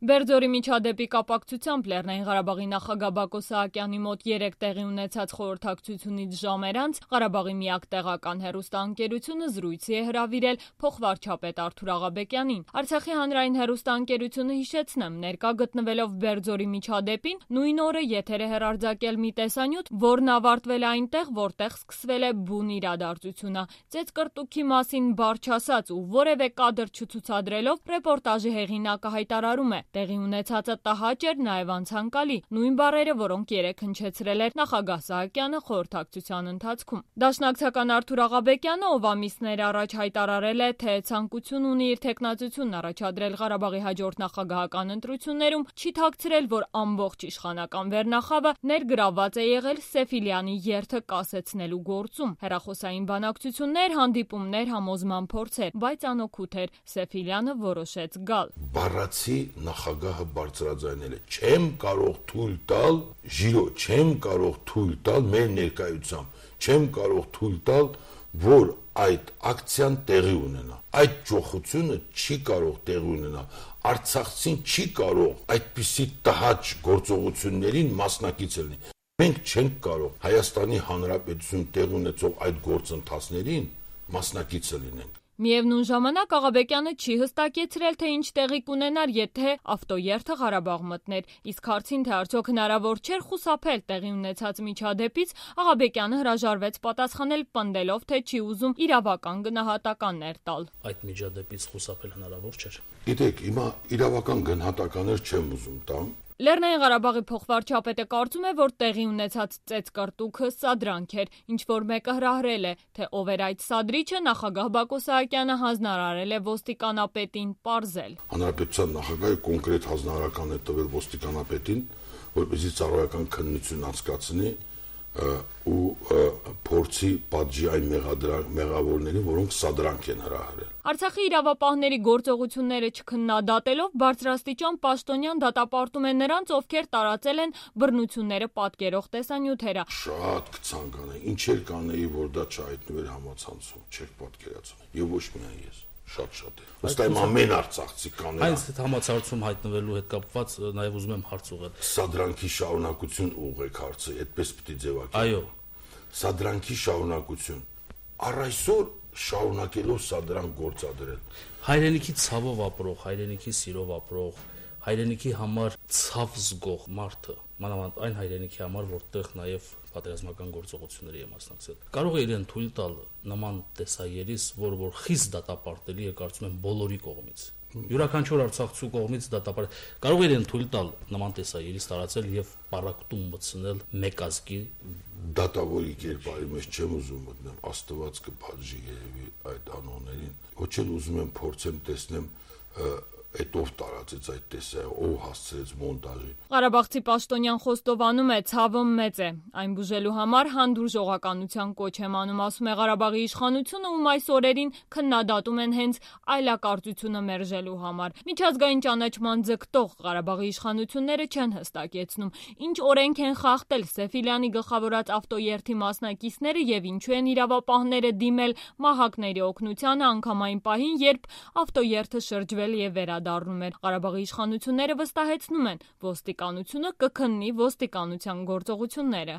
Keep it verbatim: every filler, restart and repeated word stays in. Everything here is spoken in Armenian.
Բերձորի միջադեպի կապակցությամբ Լեռնային Ղարաբաղի նախագահ Բակո Սահակյանի մոտ երեկ տեղի ունեցած խորհրդակցությունից ժամեր անց Ղարաբաղի միակ տեղական հեռուստաընկերությունը զրույցի է հրավիրել փոխվարչապետ Արթուր Աղաբեկյանին։ Արցախի հանրային հեռուստաընկերությունը, հիշեցնեմ, ներկա գտնվելով Բերձորի միջադեպին, նույն օրը եթեր է հեռարձակել մի տեսանյութ, որն ավարտվել է այնտեղ, որտեղ սկսվել է բուն իրադարձությունը։ Ծեծկռտուքի մասին բառ չասած ու որևէ կադր չցուցադրելով ռեպորտաժի հեղինակը հայտարարում է. տեղի ունեցածը տհաճ էր, նաև անցանկալի, նույն բառերը, որոնք երեկ հնչեցրել էր նախագահ Սահակյանը խորհրդակցության ընթացքում։ Դաշնակցական Արթուր Աղաբեկյանը, ով ամիսներ առաջ հայտարարել է, թե ցանկություն ունի իր թեկնածությունն առաջադրել Ղարաբաղի հաջորդ նախագահական ընտրություններում, չի թաքցրել, որ ամբողջ իշխանական վերնախավը ներգրավված է եղել Սեֆիլյանի երթը կասեցնելու գործում։ Հեռախոսային բանակցություններ, հանդիպումներ, համոզման փորձեր, բայց անօգուտ էր, Սեֆիլյանը որոշեց գալ։ Բառացի նախագահը բարձրաձայնել է. չեմ կարող թույլ տալ, ժիրո, չեմ կարող թույլ տալ մեր ներկայությամբ, չեմ կարող թույլ տալ, որ այդ ակցիան տեղի ունենա։ Այդ ճոխությունը չի կարող տեղի ունենալ։ Արցախցին չի կարող այդպիսի տհաճ գործողություններին մասնակից լինել։ Մենք չենք կարող Հայաստանի Հանրապետություն տեղ ունեցող այդ գործընթացներին մասնակիցը լինենք։ Միևնույն ժամանակ Աղաբեկյանը չի հստակեցրել, թե ինչ տեղի կունենար, եթե ավտոերթը Ղարաբաղ մտներ, իսկ հարցին, թե արդյոք հնարավոր չէր խուսափել տեղի ունեցած միջադեպից, Աղաբեկյանը հրաժարվեց պատասխանել, պնդելով, թե չի ուզում իրավական գնահատականներ տալ։ Այդ միջադեպից խուսափել հնարավոր չէր։ Գիտեք, հիմա իրավական գնահատականներ չեմ ուզում տամ։ Լեռնային Ղարաբաղի փոխվարչապետը կարծում է, որ տեղի ունեցած ծեծկռտուքը սադրանք էր, ինչ որ մեկը հրահրել է, թե ով էր այդ սադրիչը, նախագահ Բակո Սահակյանը հանձնարարել է ոստիկանապետին պարզել։ Հանրապետության նախագահը կոնկրետ հանձնարարական է տվել ոստիկանապետին, որպեսզի ծառայական քննություն անցկացնի ու փորձի պատժի այն մեղավորներին, որոնք սադրանք են հրահրել։ Արցախի իրավապահների գործողությունները չքննադատելով բարձրաստիճան պաշտոնյան դատապարտում է նրանց, ովքեր տարածել են բռնությունները պատկերող տեսանյութերը։ Շատ կցանկանայի, ինչեր կանեի, որ դա չհայտնվեր համացանցում, չեք պատկերացնում։ Եվ ոչ միայն ես, շատ-շատ է։ Ըստ այմ ամեն արցախցի կանեի։ Այս համացանցում հայտնվելու հետ կապված նաև ուզում եմ հարց ուղղել։ Սադրանքի շարունակություն ուղղեք հարցը, այդպես պիտի ձևակերպեք։ Այո։ Սադրանքի շարունակություն։ Առ այսօր շարունակելով սադրանք գործադրել։ Հայրենիքի ցավով ապրող, հայրենիքի սիրով ապրող, հայրենիքի համար ցավ զգող մարդը, մանավանդ այն հայրենիքի համար, որտեղ նաև պատերազմական գործողությունների է մասնակցել, կարող է իրեն թույլ տալ նման տեսաերիս, որ որ խիստ դատապարտելի է, կարծում եմ, բոլորի կողմից։ Յուրաքանչյուր արցախցու կողմից դատապարտ կարող է իրեն թույլ տալ նման տեսաերիս տարածել եւ պարակտում մտցնել մեկ ազգի դատավորի կերպարի մեջ չեմ ուզում մտնել, Աստված կփաջի երևի այդ անոններին, ոչ էլ ուզում եմ փորձեմ տեսնեմ այդ ով տարածեց այդ տեսը, ով հասցրեց մոնտաժի։ Ղարաբաղցի պաշտոնյան խոստովանում է, ցավը մեծ է։ Այն բուժելու համար հանդուրժողականության կոչ եմ անում, ասում է Ղարաբաղի իշխանությունը, ում այս օրերին քննադատում են հենց այլակարծությունը մերժելու համար։ Միջազգային ճանաչման ձգտող Ղարաբաղի իշխանությունները չեն հստակեցնում, ինչ օրենք են խախտել Սեֆիլյանի գլխավորած ավտոերթի մասնակիցները եւ ինչու են իրավապահները դիմել մահակների օգնությանը անգամ այն պահին, երբ ավտոերթը շրջվել եւ վերադառնում էր։ Ղարաբաղի իշխանությունները վստահեցնում են, ոստիկանությունը կքննի ոստիկանության գործողությունները։